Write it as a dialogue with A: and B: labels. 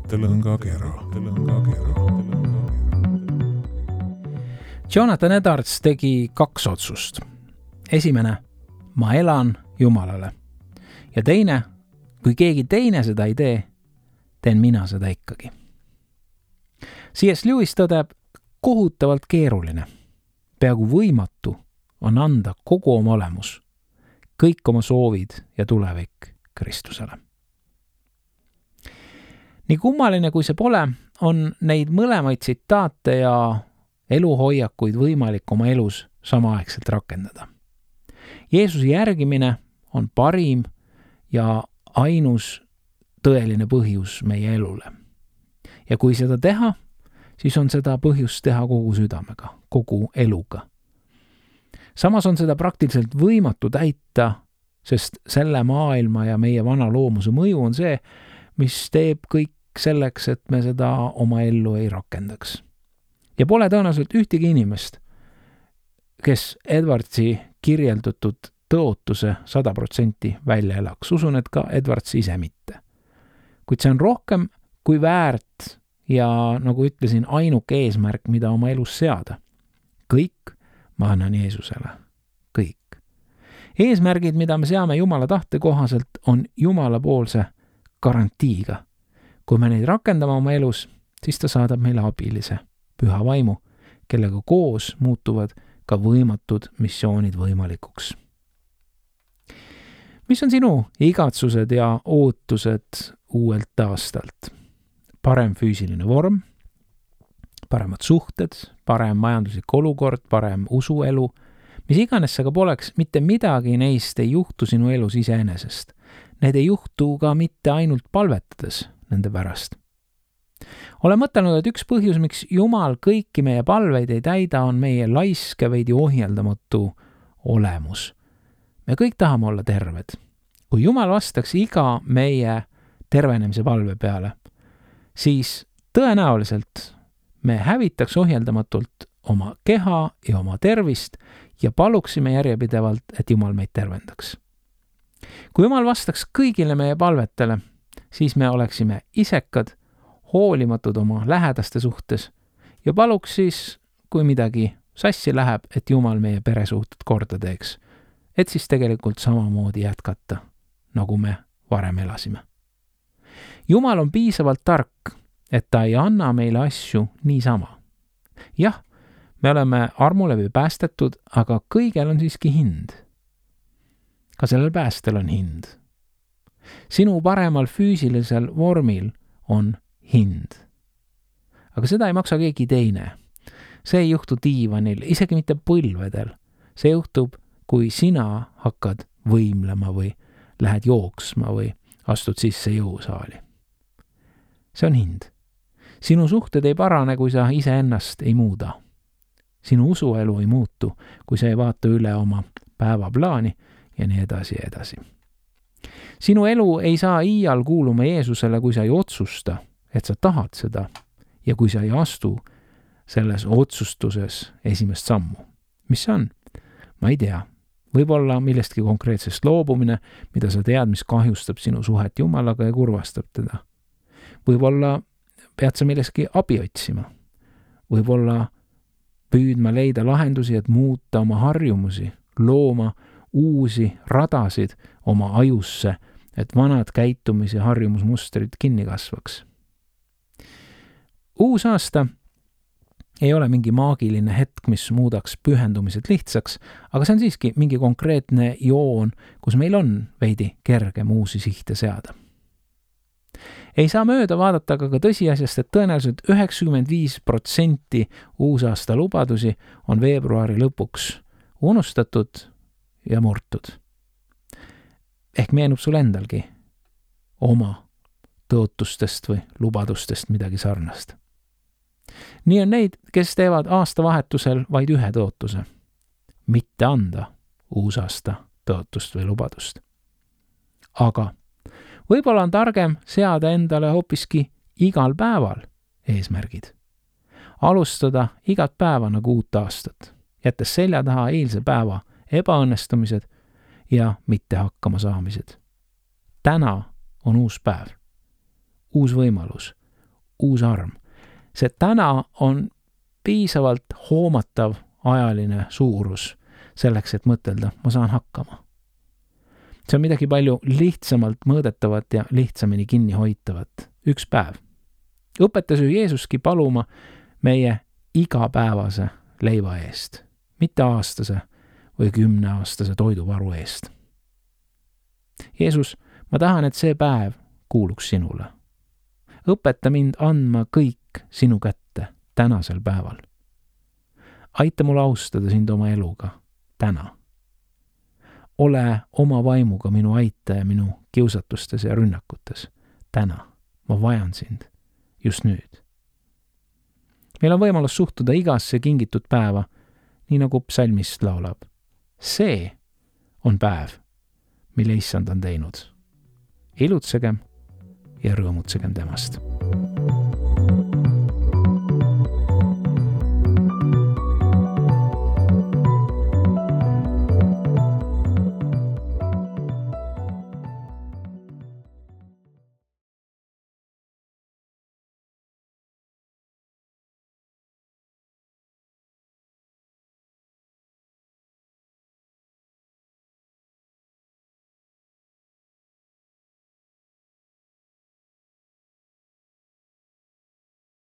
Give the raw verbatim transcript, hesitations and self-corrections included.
A: Tõlõngakera.
B: Jonathan Edwards tegi kaks otsust. Esimene, ma elan Jumalale. Ja teine, kui keegi teine seda ei tee, teen mina seda ikkagi. C S Lewis tõdeb, kohutavalt keeruline, peaaegu võimatu on anda kogu oma olemus, kõik oma soovid ja tulevik Kristusele. Nii kummaline kui see pole, on neid mõlemaid tsitaate ja eluhoiakuid võimalik oma elus samaaegselt rakendada. Jeesuse järgimine on parim ja ainus tõeline põhjus meie elule. Ja kui seda teha, siis on seda põhjust teha kogu südamega, kogu eluga. Samas on seda praktiliselt võimatu täita, sest selle maailma ja meie vana loomuse mõju on see, mis teeb kõik selleks, et me seda oma ellu ei rakendaks. Ja pole tõenäoliselt ühtegi inimest, kes Edwardsi kirjeldatud tõotuse sada protsenti välja elaks. Usun, et ka Edwards ise mitte. Kuid see on rohkem kui väärt ja nagu ütlesin, ainuke eesmärk, mida oma elus seada. Kõik ma annan Jeesusele. Kõik. Eesmärgid, mida me seame Jumala tahte kohaselt, on Jumala poolse garantiiga. Kui me neid rakendame oma elus, siis ta saadab meile abilise, püha vaimu, kellega koos muutuvad ka võimatud missioonid võimalikuks. Mis on sinu igatsused ja ootused uuelt aastalt? Parem füüsiline vorm, paremad suhted, parem majanduslik olukord, parem usuelu, mis iganes see ka poleks, mitte midagi neist ei juhtu sinu elus iseenesest. Need ei juhtu ka mitte ainult palvetades nende pärast. Olen mõtelnud, et üks põhjus, miks Jumal kõiki meie palveid ei täida, on meie laiske veidi ohjeldamatu olemus. Me kõik tahame olla terved. Kui Jumal vastaks iga meie tervenemise palve peale, siis tõenäoliselt me hävitaks ohjeldamatult oma keha ja oma tervist ja paluksime järjepidevalt, et Jumal meid tervendaks. Kui Jumal vastaks kõigile meie palvetele, siis me oleksime isekad, hoolimatud oma lähedaste suhtes ja paluks siis, kui midagi sassi läheb, et Jumal meie peresuhted korda teeks, et siis tegelikult samamoodi jätkata, nagu me varem elasime. Jumal on piisavalt tark, et ta ei anna meile asju niisama. Jah, me oleme armulevi päästetud, aga kõigel on siiski hind. Ka sellel päästel on hind. Sinu paremal füüsilisel vormil on hind. Aga seda ei maksa keegi teine. See ei juhtu diivanil, isegi mitte põlvedel. See juhtub, kui sina hakkad võimlema või lähed jooksma või astud sisse jõusaali. See on hind. Sinu suhted ei parane, kui sa iseennast ei muuda. Sinu usuelu ei muutu, kui sa ei vaata üle oma päevaplaani ja nii edasi ja edasi. Sinu elu ei saa iial kuuluma Jeesusele, kui sa ei otsusta, et sa tahad seda ja kui sa ei astu selles otsustuses esimest sammu. Mis see on? Ma ei tea. Võib-olla millestki konkreetsest loobumine, mida sa tead, mis kahjustab sinu suhet Jumalaga ja kurvastab teda. Võib-olla pead sa millestki abi otsima. Võib-olla püüdma leida lahendusi, et muuta oma harjumusi, looma uusi radasid oma ajusse, et vanad käitumis- ja harjumusmustrid kinni kasvaks. Uus aasta ei ole mingi maagiline hetk, mis muudaks pühendumised lihtsaks, aga see on siiski mingi konkreetne joon, kus meil on veidi kergem uusi sihte seada. Ei saa mööda vaadata aga ka tõsiasjast, et tõenäoliselt üheksakümmend viis protsenti uusaasta lubadusi on veebruari lõpuks unustatud ja murtud. Ehk meenub sul endalgi oma tõotustest või lubadustest midagi sarnast. Nii on neid, kes teevad aastavahetusel vaid ühe tõotuse. Mitte anda uusaasta tõotust või lubadust. Aga võib-olla on targem seada endale hoopiski igal päeval eesmärgid. Alustada igat päeva nagu uut aastat, jättes selja taha eilse päeva ebaõnnestumised ja mitte hakkama saamised. Täna on uus päev, uus võimalus, uus arm. See täna on piisavalt hoomatav ajaline suurus selleks, et mõtelda, ma saan hakkama. See on midagi palju lihtsamalt mõõdetavat ja lihtsamini kinni hoitavat. Üks päev. Õpetas ju Jeesuski paluma meie igapäevase leiva eest, mitte aastase või kümneaastase toiduvaru eest. Jeesus, ma tahan, et see päev kuuluks sinule. Õpeta mind andma kõik sinu kätte tänasel päeval. Aita mul austada sind oma eluga täna. Ole oma vaimuga minu aitaja minu kiusatustes ja rünnakutes täna. Ma vajan sind just nüüd. Meil on võimalus suhtuda igasse kingitud päeva, nii nagu psalmist laulab. See on päev, mille issand on teinud. Ilutsegem ja rõõmutsegem temast.